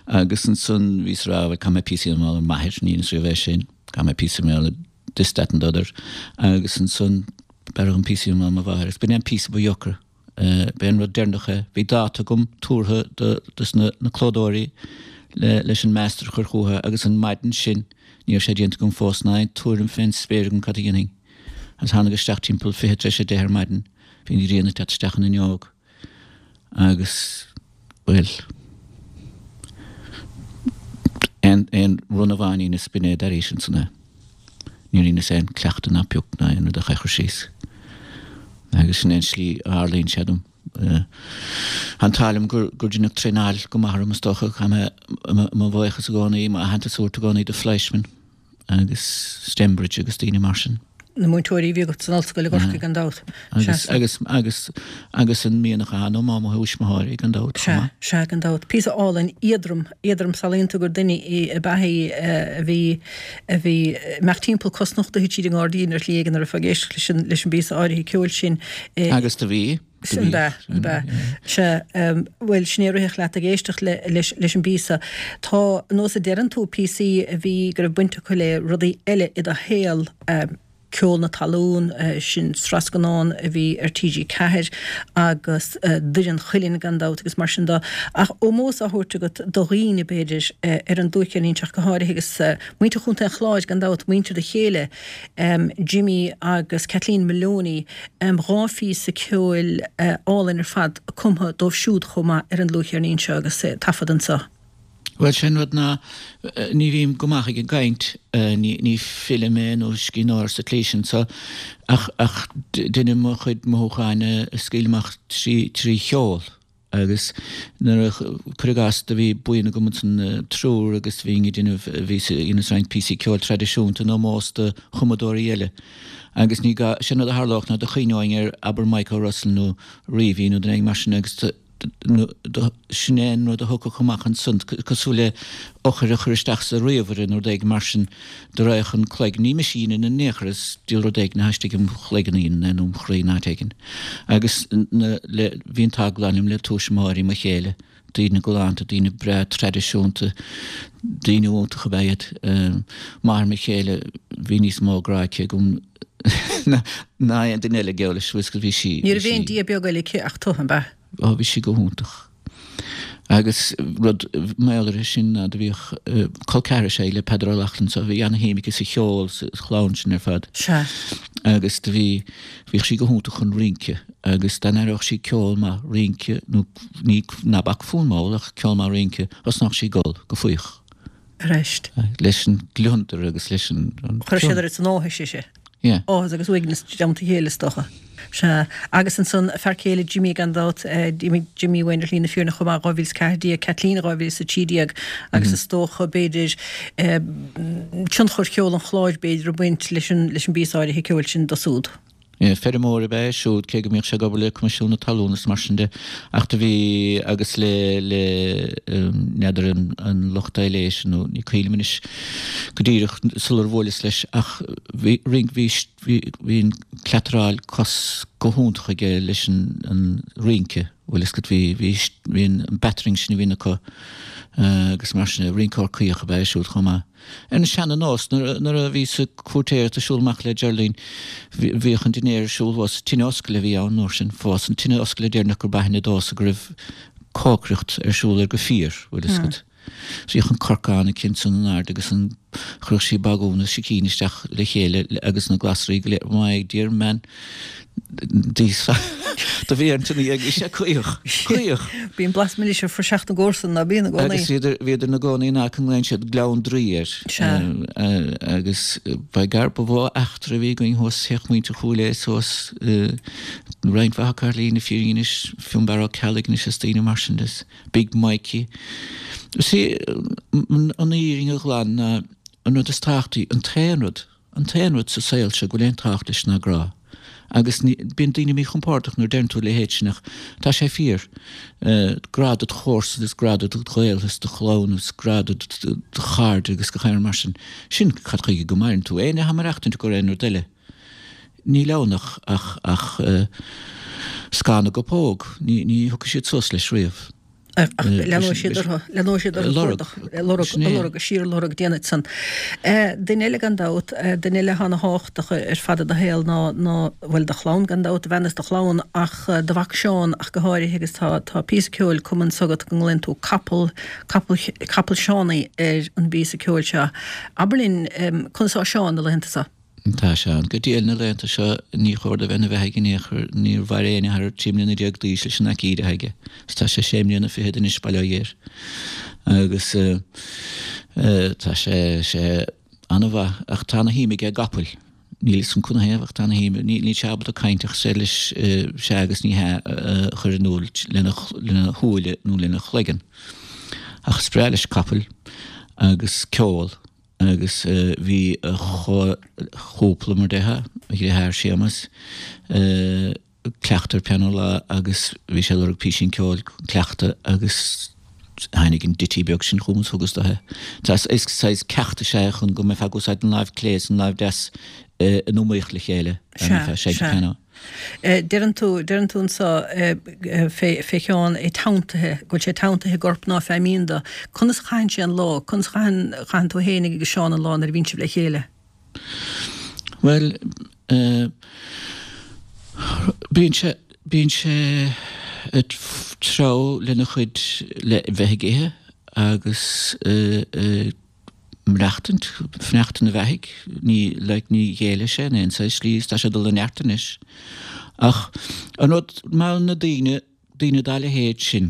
agus ansan bhíos ag rá bhuel caithfidh mé píosa a dhéanamh ar m'athair, ní dheineas riamh é sin, caithfidh mé píosa a dhéanamh ar this, that and the other agus ansan b'fhearr dhom píosa a dhéanamh ar mo mháthair agus b'in é an píosa ba dheocra. B'é an rud deireanach é. Bhí dáta agam tabhartha do dos na na clódóirí le leis an master a chur chucu agus an maidin sin ní raibh sé déanta agam fós ná aon tuairim fén spéir agam cad a dhéanfainn. Agus tháinig isteach timpeall 9:40 ar maidin, bhí an ghrian ag teacht isteach an fhuinneog agus, bhuel, aon, aon run amháin a dheineas, b'in é d'airís ansan é. Níor dheineas aon cleachtadh ná pioc ná aon rud ach é a chur síos. Agus sin é an slí a tharlaíonn sé dom. Tá an t-ádh liom gur, gur deineadh traenáil go maith orm is dócha, caithfidh mé mo bhuíochas i gcónaí, m'aitheantas a thabhairt i gcónaí do Fleischmann. agus Stembridge agus daoine mar sin. Na múinteoirí a bhí agat san ollscoil i gCorcaigh gan dabht. Agus, agus, agus, agus an mianach a tháinig ó mo thuismitheoirí gan dabht chomh maith. Sea, sea, gan dabht. Píosa álainn, éadrom, éadrom samhlaíonn tú gur duine í ab ea í a bhí, a bhí, mbeadh timpeall cosnochta tríd an ngairdín ar shlí éigin nuair a bheifeá ag éisteacht leis an, leis an bpíosa áirithe ceoil sin. Agus do bhí. An b'ea, an b'ea. Sea, bhuel, sin é a rithfeadh leat ag éisteacht leis leis an bpíosa. Tá, nós a deireann tú, píosaí a bhí, go raibh baint acu le rudaí eile i do shaol, Ceol na Talún, sin sraith scannán a bhí ar TG4, agus Doire an Chuilinn gan dabht agus mar sin de. Ach ómós á thabhairt agat do dhaoine, b'fhéidir, ar an dlúthcheirnín seo ach go háirithe agus muintir Chontae an Chláir gan dabht, muintir do chéile, Jimmy agus Kathleen Maloney, 2 phíosa ceoil álainn ar fad cumtha dóibh siúd chomh maith ar an dlúthcheirnín seo agus taifeadta anseo. Bhuel, sé an rud ná ní bhím go maith ag an gcaint, ní file mé nó scríbhneoir sa tslí sin so, ach ach deinim mo chuid mothúcháin a scaoileadh amach trí cheol. Agus nuair a, cuir i gcás, do bhí buíon agam ansan, triúr agus bhínn ag déanamh, bhíos ag déanamh roinnt píosaí ceoil traidisiúnta in ómós do chumadóirí eile. Agus ní gá, sé an rud a tharlódh ná do chuimhneoinn ar, abair, Mike O'Russell nó Reavy nó duine éigin mar sin agus do, nó do, sin é an rud a thiocfadh amach ansan, cosúil le eochair a chur isteach sa ríomhaire nó rud éigin mar sin, do raghadh an cloig, ní mise a dheineann in aon chor, is diabhal rud éigin atá istigh im chloigeann a dhéanann é nó im chroí in áit éigin. Agus na, le, bhí an t-ádh glan liom le tuismitheoirí mo chéile, daoine galánta, daoine breá traidisiúnta, daoine iontacha ab ea iad. Máthair mo chéile, bhí níos mó grá aici agam ná aon duine eile, geall leis, bhí sí, Ní raibh aon Dia beag eile aici ach tu, an b'ea? Ó, bhí sí go hiontach. Agus rud mar gheall uirthi sin ná do bhíodh col ceathrar is ea í le Peadar Ó Lochlainn so bhí ana-shuim aici sa cheol sa chlann sin ar fad. Sea. Agus do bhí, bhíodh sí go hiontach chun rince agus dá n-aireodh sí ceol maith rince nó ní, ná bac fonn mall ach ceol maith rince, thosnódh sí ag gol go faíoch. Arís. Leis an gliondar agus leis an. Chuir sé oiread san áthais ise. Yeah. Áthas agus uaigneas i dteannta a chéile is dócha. Sea. Agus ansan fear céile Jimmy gan dabht, d'imigh Jimmy uainn ar shlí na fírinne chomh maith, 2014, Kathleen 2013 agus is dócha b'fhéidir tionchar cheol an Chláir b'fhéidir ag baint leis an leis an bpíosa áirithe ceoil sin do siúd. Feirmeoir ab ea é siúd, cé go mbíodh sé ag obair le Coimisiún na Talún is mar sin de, ach do bhí, agus le, le, n'fheadar an, an lucht aibhléise nó ní cuimhin liom anois go díreach sular bhuaileas leis ach bhí, roinnt, bhí, bhí, bhí an cleataráil cos. go hiontach aige leis an rince, bhfuil fhios agat, bhí, bhí, bhí an battering sin a bhíonn acu agus mar sin, rinceoir caoch ab ea é siúd chomh maith. Ar an seana-nós, nuair a bhíos ag cúirtéireacht ag siúl amach le Geraldine, bhíodh an dinnéar ar siúl thuas, tine oscaile a bhí ann an uair sin, fós, an tine oscaile deireanach gur b'aithne domhsa go raibh cócaireacht ar siúl ar go fíor, bhfuil fhios agat. Bhíodh an corcán aici ansan in airde agus an, chuireadh sí bagún is sicín isteach le chéile agus na glasraí go léir. My dear man, do bhí ar an tine bhí sé caoch, caoch. Bíonn blas milis ar phraiseach na gcomharsan, ná bíonn i gcónaí? Agus bhíodar, bhíodar ina gcónaí in aice a nglaonn siad Gleann Draoi air. Sea. Agus by gar ba mhó eachtra a bhí againn thuas, théadh muintir Chúil Aodha suas, roinnt mhaith acu ar shlí na fírinne anois, Fionnbarra Ó Ceallaigh anois is daoine mar sin de. Big Mikey. See, an fhírinne ghlan ná an rud is tábhachtaí, an t-aon rud, an t-aon rud sa saol seo go bhfuil aon tábhacht leis ná grá. Agus ní, bíonn daoine míchompordach nuair a deireann tú a leithéid sin ach tá sé fíor. Grá dod chomharsan is grá do ghaoltha is do chlann is grá do do chairde agus gach aon rud mar sin. Sin cad chuige go maireann tú. Éinne atá ag maireachtaint i gcomhair aon rud eile. Níl ann ach, ach, ach scáth na gcopóg. Ní, ní thiocfaidh siad suas leis riamh. Ach leanóidh siad orthu, leanóidh siad orthu ag cuardach, ag lorg, ag lorg, síorlorg déanfaidh san. Duine eile gan dabht, duine eile atá ana thábhachtach ar fad i do shaol ná, ná, bhuel do chlann gan dabht, do bhean is do chlann ach do mhac Seán ach go háirithe agus tá, tá píosa ceoil cumtha anso agat go nglaonn tú capall, capall, capall Seánaí ar an bpíosa ceoil seo. Abair linn, conas atá Seán na laethanta seo? Tá Seán go diail na laethanta seo, ní chóir do bheith ina bheathaidh in aon chor, níor mhair éinne thar 13 mbliana d'aois leis an aicíd atá aige, is tá sé sé mbliana fichead anois, bail ó Dhia air. Agus tá sé, sé an-mhaith, ach tá ana shuim aige i gcapaill. Níl fhios agam canathaobh ach tá ana shuim, níl sé ábalta caint ach is féidir leis sea agus ní hea a chur in iúl lena, lena shúile nó lena chloigeann. Ach is breá leis capaill agus ceol. agus bhí a chúpla, mar déarfá, a dheartháir Séamas, ag cleachtadh ar pianó lá agus bhí sé ag lorg písín ceoil chun cleachtadh agus tháinig an ditty beag sin chugam is thugas dó é. Is saghas ceacht is ea é chun go mbeifeá ag úsáid an láimh clé is an láimh deas in iomaíocht le chéile dá mbeifeá ag seinnt an pianó. Deireann tú, deireann tú anso fé, fé Sheán é teanntaithe, go bhfuil sé teanntaithe i gcorp ná fé mhionn do. Conas a chaitheann sé an lá? Conas a chaitheann, chaitheann tú fhéinig agus Seán an lá nuair a bhíonn sibh le chéile? Bhuel, bíonn sé, bíonn sé ag treabhadh lena chuid, le bheith ag ithe agus ag maireachtaint, fanacht ina bheathaidh, ní, like, ní ghéillfidh sé in aon saghas slí is tá sé ag dul i neart anois. Ach an rud, mar na daoine, daoine dá leithéid sin,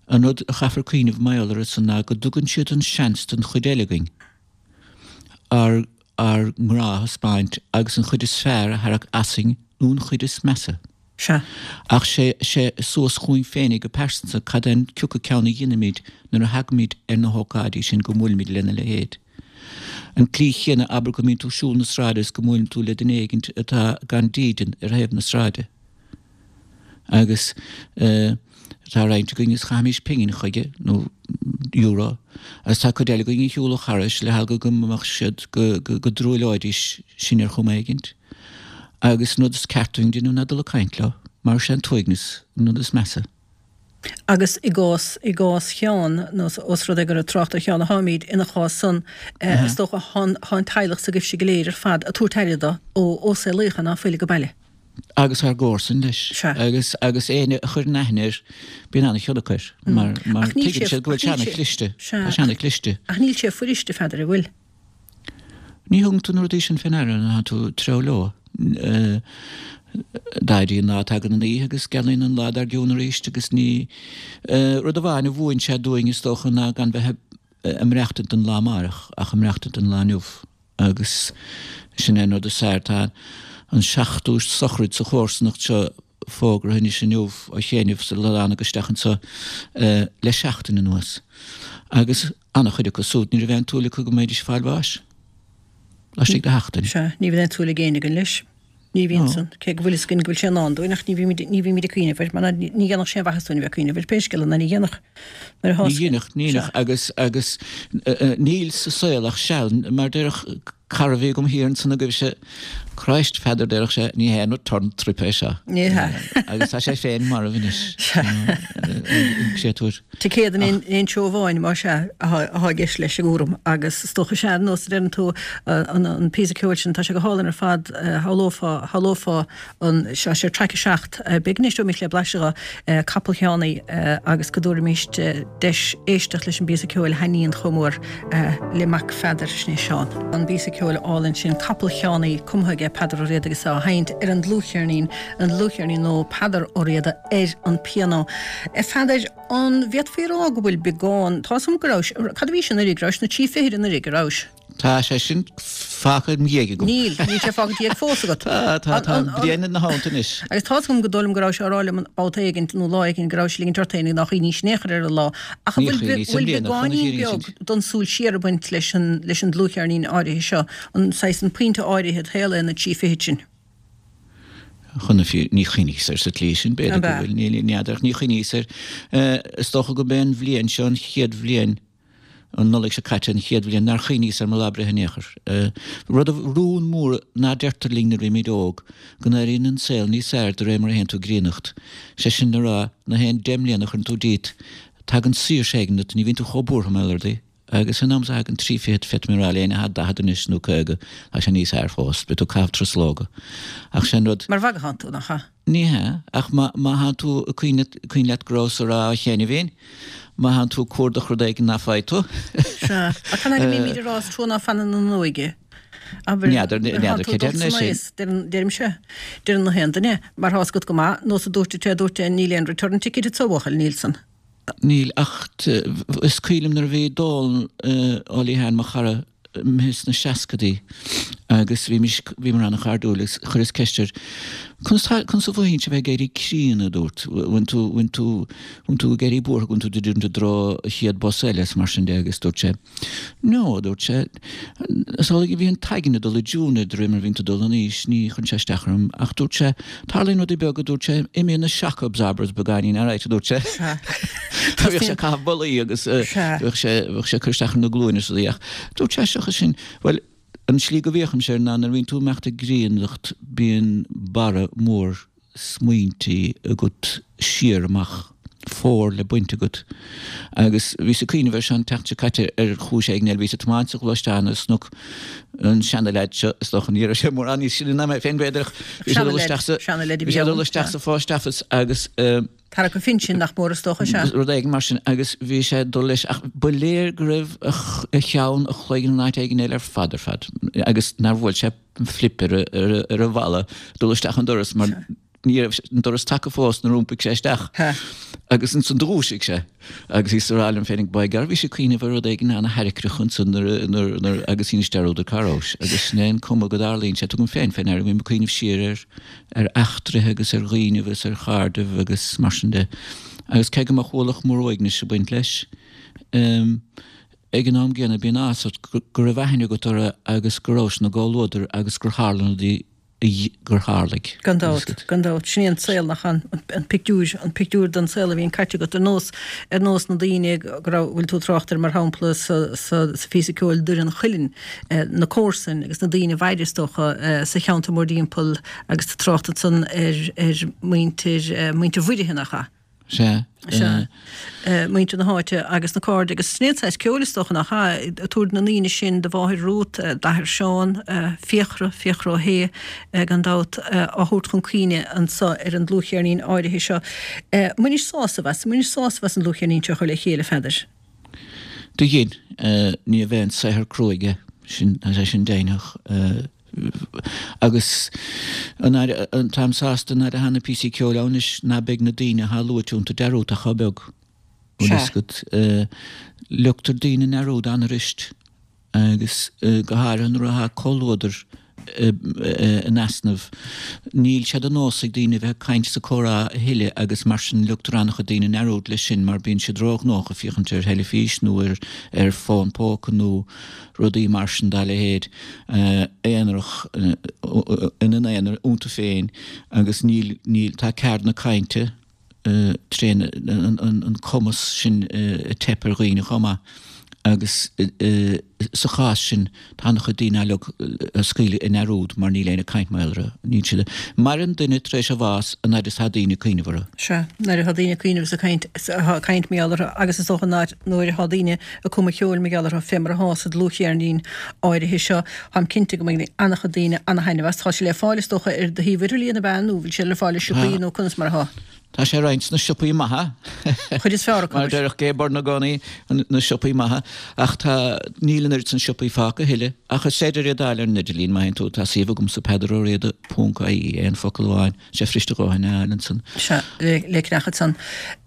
an rud a chaithfear cuimhneamh mar gheall orthu san ná go dtugann siad an seans don chuid eile againn ár, ár ngrá a thaispeáint agus an chuid is fearr a tharrac asainn nó an chuid is measa. Sea. Ach sé, sé suas chugainn féinig go pearsanta cad é an cioca ceann a dhéanaimid nuair a thagaimid ar na hócáidí sin go mbuailimid lena leithéid. An tslí chéanna, abair go mbíonn tú ag siúl na sráide is go mbuaileann tú le duine éigint atá gan dídean ar thaobh na sráide. Agus eh, tá roinnt againn is chaithfimis pingin chuige, nó euro, agus tá cuid eile againn a shiúlfadh thairis le heagla go mbeadh siad, go, go, go dtruailleoidís sinn ar chuma éigint. Agus an rud is ceart dúinn déanamh ná dul ag caint leo, mar is é an t-uaigneas an rud is measa. Agus i gcás, i gcás Sheáin, nó ós rud é gur ag trácht ar Sheán atáimid, ina chás san, is dócha, thá an teaghlach s'agaibhse go léir ar fad ag tabhairt aire do, ó, ó saolaíodh é ná fuil age baile. Agus ár gcomharsain leis. Sea. Agus, agus éinne a chuireann aithne air, bíonn an-chion acu air, mar, mar tuigeann siad go bhfuil sé ana-chliste. Tá sé ana-chliste. Ach níl sé fuiriste, a Pheadair, an bhfuil? Ní thugann tú na rudaí sin fé ndeara nuair atá tú ag treabhadh leo. D'éiríonn an lá, tagann an oíche agus gealaíonn an lá dár gcionn arís agus ní. Rud amháin a mhúin sé dúinn is dócha ná gan bheith ag maireachtaint don lá amárach ach ag maireachtaint don lá inniu agus sin é an rud is fearr. Tá an seachtú sochraid sa chomharsanacht seo fógartha anois inniu ó chianaibh sula dtánag isteach anseo le seachtain anuas agus Ana-chuid acu súd, ní raibh aon tsúil acu go mbeidís ag fáil bháis laistigh de sheachtain. Sea, ní bhíonn aon tsúil ag éinne againn leis. Ní bhíonn san. Cé go bhfuil fhios againn go bhfuil sé i ndán dúinn, ach ní bhímid, ní bhímid ag cuimhneamh air, mar ní dhéanfadh sé aon mhaitheas dúinn a bheith ag cuimhneamh air, pé scéal é, ná ní dhéanfadh. Nuair a Ní dhéanfadh, ní dhéanfadh, agus, agus níl sa saol ach seal, mar déarfadh. Cara a bhí agam thiar ansan agaibhse, Christ, Pheadair, déarfadh sé, ní haon return trip é seo. Ní hea. Agus tá sé féin marbh anois, an créatúr. Ticéad in aon treo amháin, más ea, atá i gceist leis an gcúram. Agus is dócha, sea, ar nós a deireann tú, an píosa ceoil sin, tá sé go hálainn ar fad, shamhlófá, shamhlófá an, seo, sé traic 7, b'fhéidir go n-éisteoimis le blaiseadh de, Capall Sheánie, agus go dtabharfaimis deis éisteacht leis an bpíosa ceoil a thaitníonn chomh mór le mac Pheadair, sin é Seán. An píosa ceoil álainn sin, Capall Sheánie, cumtha aige Peadar Ó Riada agus á sheinnt ar an dlúthcheirnín, an dlúthcheirnín nó Peadar Ó Riada ar an pianó. A Pheadair, an bhféadfaí a rá go bhfuil beagán, tá 'fhios a'm go rabhais, cad a bhís anuraidh, rabhais sna trí fichid anuraidh, an rabhais? Tá sé sin fágtha im dhiaidh agam. Níl, níl sé fágtha i do dhiaidh fós agat. Tá, tá, tá an bhliain ina theannta anois. Agus tá's agam go dóigh liom go rabhais á rá liom babhta éigint nó lá éigint go rabhais ag ligint ort féin nár chuimhníos in aon chor ar an lá. Ach an bhfuil, bhfuil beagáinín beag don súil siar ag baint leis an, leis an dlúthcheirnín áirithe seo, an saghas, an pointe áirithe i do shaol é na trí fichid sin? Chun na fírinne, ní chuimhníos air sa tslí sin, b'fhéidir go bhfuil, ní n'fheadar, ach ní chuimhníos air. Is dócha go b'é an bhliain seo an chéad bhliain, an Nollaig seo caite an chéad bhliain nár chuimhníos ar mo lá breithe in aon chor. Rud, rún mór ná deirtear linn nuair a bhímid óg, go n-éiríonn an saol níos fearr de réir mar a théann tú ag críonnacht. Sé sin le rá, na haon 10 mbliana a chuireann tú díot, tagann saoirse éigin duit, ní bhíonn tú chomh buartha mar gheall ar rudaí. Agus san am is a thagann trí fichid, féadfaidh mé a rá le éinne atá 40 anois nó 50, tá sé níos fearr fós, beidh tú ag caitheamh truslóga. Ach sé an rud. Mar mhagadh atánn tú, nach ea? Ní hea, ach má thánn tú ag cuimhin leat go rabhas ag rá cheana féin, má thánn tú ag cuardach rud éigin ná faigh tú. Sea, ach cad é go mbímid ag rá is trua ná fanann an óige. Abair, N'fheadar, n'fheadar cé deireann é sin. Deirimse, deireann na haon duine, mar thá's agat go maith, nós a dúirt an té a dúirt é, níl aon return ticket agat a bhuachaill, níl san. Níl, ach is cuimhin liom nuair a bhí Dónal Ó Liatháin, mo chara, imithe sna seascadaí agus bhímis, bhíomar an-chairdiúil agus chuireas ceist air, conas tá, conas a mhothaíonn sé bheith ag éirí críonna, a dúrt, bhfuil tú, bhfuil tú, bhfuil tú ag éirí buartha go bhfuil tú ag druidim i dtreo an chéad bus eile is mar sin de agus dúirt sé, No, a dúirt sé, is amhlaidh a bhí an t-aigne ag dul i dtiúin de réir mar a bhíonn tú ag dul in aois, ní chuireann sé isteach orm. Ach dúirt sé, tarlaíonn rudaí beaga, a dúirt sé, imíonn na shock absorbers beagáinín, alright, a dúirt sé. Bhíodh sé ag caitheamh bollaí agus bhíodh sé, bhíodh sé ag cur isteach ar na glúine is rudaí ach dúirt sé, seachas sin, bhuel, an tslí go bhféachaimse air ná nuair a bhíonn tú ag imeacht i gcríonnacht bíonn barra mór smaointí agat siar amach, fómhar le baint agat. Agus bhíos ag cuimhneamh air seo an tseachtain seo caite ar chúis éigin eile. Bhíos ag tiomáint sa ghluaisteán agus chonac an seana-leaid seo, is dócha ní raibh sé mórán níos sine ná mé féin b'fhéidir ach bhí sé ag dul isteach sa, bhí sé ag dul isteach sa phost office agus, Tarrac a phinsin nach mór is dócha, sea. Rud éigin mar sin agus bhí sé ag dul leis ach ba léir go raibh a cheann, a chloigeann in áit éigin eile ar fad ar fad agus nár bhuail sé flip ar ar an bhalla dul isteach an doras mar ní raibh an doras tagtha fós nuair a iompaigh sé isteach. Agus ansan do dhúisigh sé agus bhíos ag rá liom féinig by gar bhí sé ag cuimhneamh ar rud éigin ana-thaircreach ansan nuair nuair nuair agus dheinis dearúd ar cá rabhais agus sin é an cuma go dtarlaíonn sé. Tugaim féin fé ndeara go mbím ag cuimhneamh siar ar ar eachtraithe agus ar dhaoinibh agus ar chairdibh agus mar sin de. Agus cé go mbeadh ualach mór uaignis ag baint leis, ag an am gcéanna bíonn áthas ort go raibh aithne agat orthu agus go rabhais ina gcomhluadar agus gur tharla na rudaí gur tharlaigh. Gan dabht, gan dabht. Sin é an saol nach an, an pictiúr, an pictiúr den saol a bhíonn caite agat ar nós, ar nós na daoine go raibh, bhfuil tú ag trácht air mar shampla sa, sa, sa phíosa ceoil Doire an Chuilinn, na comharsain agus na daoine a mhair is dócha sa cheantar mórdtimpeall agus tú ag trácht ansan ar, ar mhuintir, muintir Mhuirithe nach ea? Sea. Sea. Muintir na háite agus na cairde agus sin é an saghas ceoil is dócha nach ea? Ag tabhairt na ndaoine sin, do mháthair Ruth, d'athair Seán, Fiachra, Fiachra Ó hAodha gan dabht, á thabhairt chun cuimhne anso ar an dlúthcheirnín áirithe seo. Bhainis sásamh as, bhainis sásamh as an dlúthcheirnín seo a chur le chéile, a Pheadair? Do dhein. Ní bheinn saothar cruaidh é sin, tá sé sin deimhneach. Agus an fhaid, táim sásta an fhaid atá na píosaí ceoil ann anois ná beidh na daoine atá luaite iontu dearúdta chomh beag. Bhfuil fhios agat. Leogtar daoine i ndearúd an-fhuirist agus go háirithe nuair atá comhluadar in easnamh. Níl sé de nós ag daoine a bheith ag caint is ag comhrá a thuilleadh agus mar sin leogtar an-chuid daoine i ndearúd leis sin mar bíonn siad róghnóthach ag féachaint ar theilifís nó ar ar fón póca nó rudaí mar sin dá leithéid, aonarach, ina n-aonar iontu féin agus níl, níl, tá ceard na cainte tréan, an cumas sin ag teip ar dhaoine chomh maith agus. sa chás sin, tá an-chuid daoine á scaoileadh i ndearúd mar níl éinne ag caint mar gheall orthu. Níl siad. Maireann duine tar éis a bhás an fhaid is atá daoine ag cuimhneamh orthu. Sea, nuair atá daoine ag cuimhneamh is ag caint, ag caint mar gheall orthu agus is dócha nuair atá daoine ag cumadh ceoil mar gheall orthu, fé mar atá sa dlúthcheirnín áirithe seo, táim cinnte go mbainfidh an-chuid daoine an-thaitneamh as. Tá sé le fáil is dócha ar do shuíomh idirlíon, ab ea, nó bhfuil sé le fáil i siopaí nó conas mar atá? Tá sé roinnt sna siopaí maithe. Chuid is fearr acu. Mar a déarfadh Gay Byrne i gcónaí, na siopaí maithe. Ach tá, níl an oiread san siopaí fágtha a thuilleadh. Ach is féidir iad a fháil ar an idirlíon má théann tú, tá suíomh agamsa peadaróriada ponc ie, aon focal amháin, tá sé fuirist a dhóthain a fháil ansan. Sea, le ceannach ansan.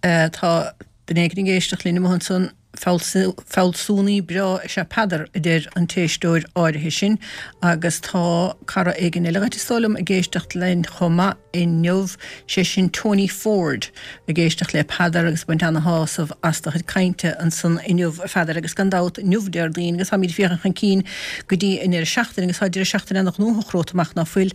Tá duine éigin ag éisteacht linn amuigh ansan. Fealsúnaí breá is ea Peadar, a deir an t-éisteoir áirithe sin, agus tá cara éigin eile dhuit, is dóigh liom, ag éisteacht linn chomh maith inniu, sé sin Tony Ford, ag éisteacht le Peadar agus ag baint ana-shásamh as do chuid cainte ansan inniu, a Pheadair. Agus gan dabht, inniu Déardaoin, agus táimid ag féachaint chun cinn go dtí an deireadh seachtaine, agus tá deireadh seachtaine ana-ghnóthach romhat amach, ná fuil,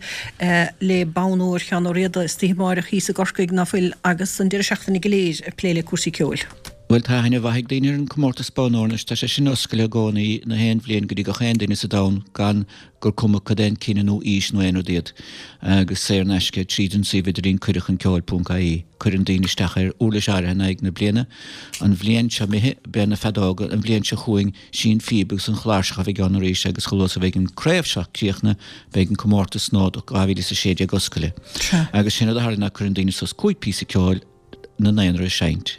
le Bonn Óir Sheáin Ó Riada istoíche amáireach thíos i gCorcaigh, ná fuil, agus an deireadh seachtaine go léir ag plé le cúrsaí ceoil. Bhuel, tá aithne mhaith ag daoine ar an comórtas Bonn Óir anois. Tá sé sin oscailte i gcónaí na haon bhliain go dtí gach aon duine sa domhan gan gur cuma cad é an cine nó aois nó aon rud iad. Agus saor in aisce tríd an suíomh idirlín cuireadhchunceoil ponc ie. Cuireann daoine isteach ar uirlis áirithe in aghaidh na bliana. An bhliain seo imithe, b'é na feadóga, an bhliain seo chugainn, sí an phíb agus an chláirseach a bheidh ann arís agus chomh luath is a bheidh an craobh seo críochnaithe beidh an comórtas nua do 2016 oscailte. Agus sin rud a tharlaíonn ná cuireann daoine suas 5 píosa ceoil ina n-aonar a seinnt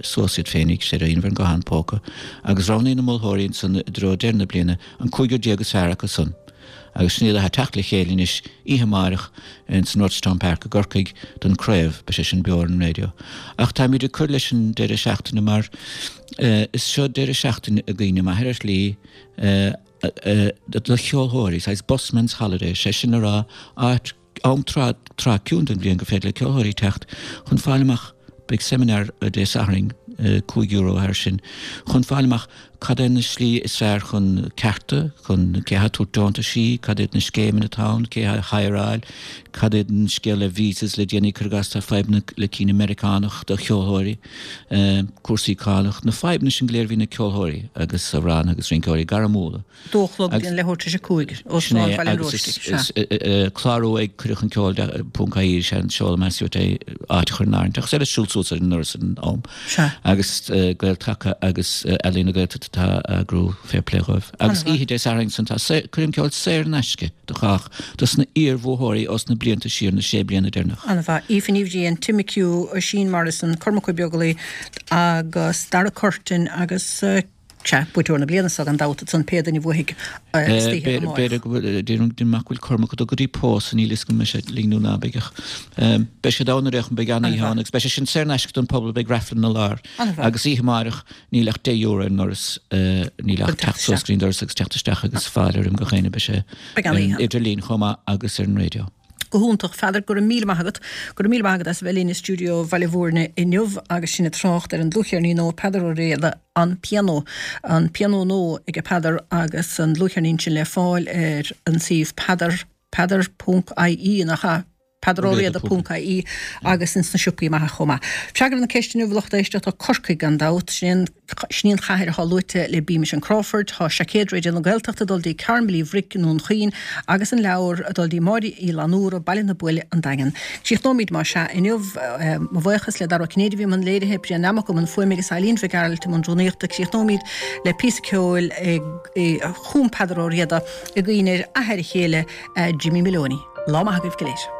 suas iad féinig, sé ar an nguthán póca, agus roghnaíonn na moltóirí ansan i dtreo deireadh na bliana an cúigear déag is fearr acu san. Agus sin iad atá ag teacht le chéile anois oíche amáireach ins an Rochestown Park i gCorcaigh don craobh, beidh sé sin beo ar an raidió. Ach táimid ag cur leis an deireadh seachtaine mar is seo deireadh seachtaine i gcuimhne m'athair ar shlí do cheolthóirí, saghas busman's holiday, sé sin le rá áit am tráth, tráth ciúin den bhliain gur féidir le ceolthóirí teacht chun fáil amach, beidh seimineár Dé Sathairn, €5 air sin, chun fáil amach cad é na slí is fearr chun cearta, chun cé atá ag tabhairt deontaisí, cad iad na scéimeanna atá ann, cé a hireáil, cad iad an scéal le visas le déanaí, cuir i gcás tá fadhbanna le cinn i Meiriceánach do cheolthóirí, cúrsaí cánach, na fadhbanna sin go léir a bhíonn ag ceolthóirí agus amhránaithe agus rinceoirí gairmiúla. 2 a chlog go dtí an leathuair tar éis 5, Óstán Bhaile an Róistigh, sea. Clárú ag cuireadh chun ceoil ponc ie is ea an seoladh más uait é áit a chur in áirithe ach is féidir siúl suas ar an ndoras ar an am. Sea. Agus Gael Taca agus Ealaín na Gaeltachta atá ag eagrú fair play dhóibh. Agus oíche Dé Sathairn san tá coirm ceoil saor in aisce do chách dos na iar-bhuathóirí ós na blianta siar, na sé bliana deireanach. An-mhaith. Aoife Ní Bhriain, Tim McHugh, Oisín Morrison, Cormac Ó Beaglaoich agus Dara Curtin agus. Sea, buaiteoir na bliana seo gan dabht, ansan pé duine a bhuafaidh istoíche amárach. B'fhéidir go bhfuil, deirim amach go bhfuil Cormac ag dul go dtí pósadh, níl fhios agam an mbeidh sé linn nó ná beidh ach beidh siad ann ar aon chuma, beidh an-oíche ann agus beidh sé sin saor in aisce don phobal, beidh raifil ina lár. Agus oíche amárach níl ach €10 ar an ndoras, níl ach teacht suas go dtí an doras agus teacht isteach agus fáilte roimh gach éinne, beidh sé ar an idirlíon chomh maith agus ar an raidió. Go hiontach. Pheadair, go raibh míle maith agat. Go raibh míle maith agat as a bheith linn i stiúideo Bhaile Mhúirne inniu agus sinn ag trácht ar an dlúthcheirnín nua Peadar Ó Riada, An Pianó. An Pianó Nua aige Peadar agus an dlúthcheirnín sin le fáil ar an suíomh peadar, peadar ponc ie, nach ea? peadaróriada ponc ie agus ins na siopaí maithe chomh maith. Freagra na ceiste inniu, a lucht éisteachta, Corcaigh gan dabht. Sin é Sin í an chathair atá luaite le Beamish and Crawford. Tá seaicéad Raidió na Gaeltachta ag dul dtí Carmel Uí Bhruic i nDún Chaoin agus an leabhar ag dul dtí Máire Uí Fhlannúra, Baile na Buile, An Daingean. Críochnóimid más ea inniu. Mo bhuíochas le Dara Ó Cinnéide a bhí i mbun léirithe, Brian Nammock i mbun fuaime agus Eileen Mhic Gearailt i mbun rúnaíochta. Críochnóimid le píosa ceoil a chum Peadar Ó Riada i gcuimhne ar athair a chéile, Jimmy Maloney. Lá maith agaibh go léir.